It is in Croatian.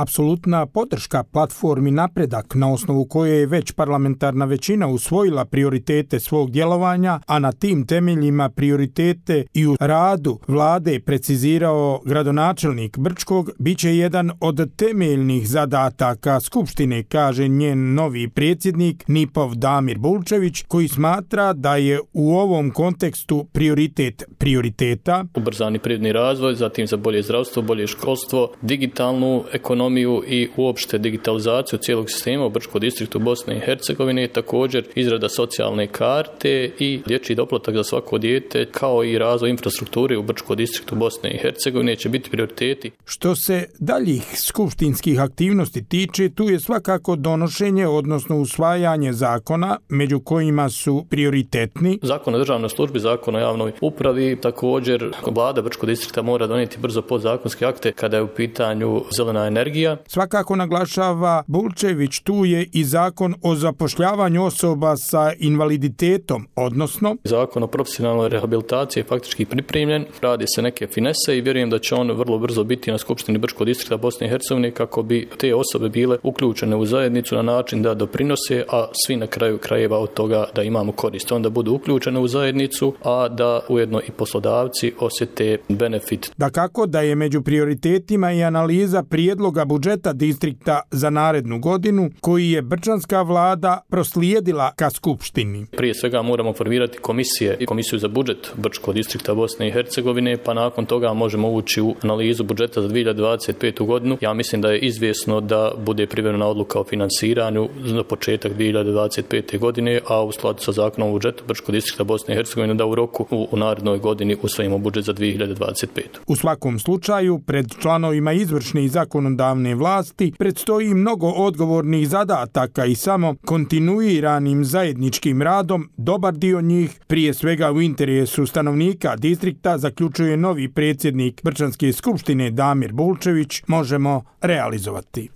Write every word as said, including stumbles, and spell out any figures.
apsolutna podrška platformi Napredak, na osnovu koje je već parlamentarna većina usvojila prioritete svog djelovanja, a na tim temeljima prioritete i u radu vlade precizirao gradonačelnik Brčkog, bit će jedan od temeljnih zadataka Skupštine, kaže njen novi predsjednik Nipov Damir Bulčević, koji smatra da je u ovom kontekstu prioritet prioriteta ubrzani privredni razvoj, zatim za bolje zdravstvo, bolje školstvo, digitalnu ekonomiju i uopšte digitalizaciju cijelog sistema u Brčkom distriktu Bosne i Hercegovine, također izrada socijalne karte i dječji doplatak za svako dijete, kao i razvoj infrastrukture u Brčkom distriktu Bosne i Hercegovine će biti prioriteti. Što se daljih skupštinskih aktivnosti tiče, tu je svakako donošenje, odnosno usvajanje zakona, među kojima su prioritetni Zakon o državnoj službi, Zakon o javnoj upravi, također vlada Brčkog distrikta mora donijeti brzo podzakonske akte kada je u pitanju zelena energija. Svakako naglašava Bulčević, tu je i zakon o zapošljavanju osoba sa invaliditetom, odnosno Zakon o profesionalnoj rehabilitaciji je faktički pripremljen, radi se neke finese i vjerujem da će on vrlo brzo biti na Skupštini Brčkog distrikta Bosne i Hercegovine kako bi te osobe bile uključene u zajednicu na način da doprinose, a svi na kraju krajeva od toga da imamo korist. Onda budu uključene u zajednicu, a da ujedno i poslodavci osjete benefit. Dakako da je među prioritetima i analiza prijedloga budžeta distrikta za narednu godinu, koji je brčanska vlada proslijedila ka Skupštini. Prije svega moramo formirati komisije i komisiju za budžet Brčkog distrikta Bosne i Hercegovine, pa nakon toga možemo ući u analizu budžeta za dvije hiljade dvadeset petu godinu. Ja mislim da je izvjesno da bude privremena odluka o finansiranju za početak dvije hiljade dvadeset pete godine, a u skladu sa zakonom o budžetu Brčkog distrikta Bosne i Hercegovine da u roku u, u narednoj godini usvojimo budžet za dvije hiljade dvadeset petu. U svakom slučaju, pred članovima izvršne i zakonodavne vlasti predstoji mnogo odgovornih zadataka i samo kontinuiranim zajedničkim radom dobar dio njih, prije svega u interesu stanovnika distrikta, zaključuje novi predsjednik Brčanske skupštine Damir Bulčević, možemo realizovati.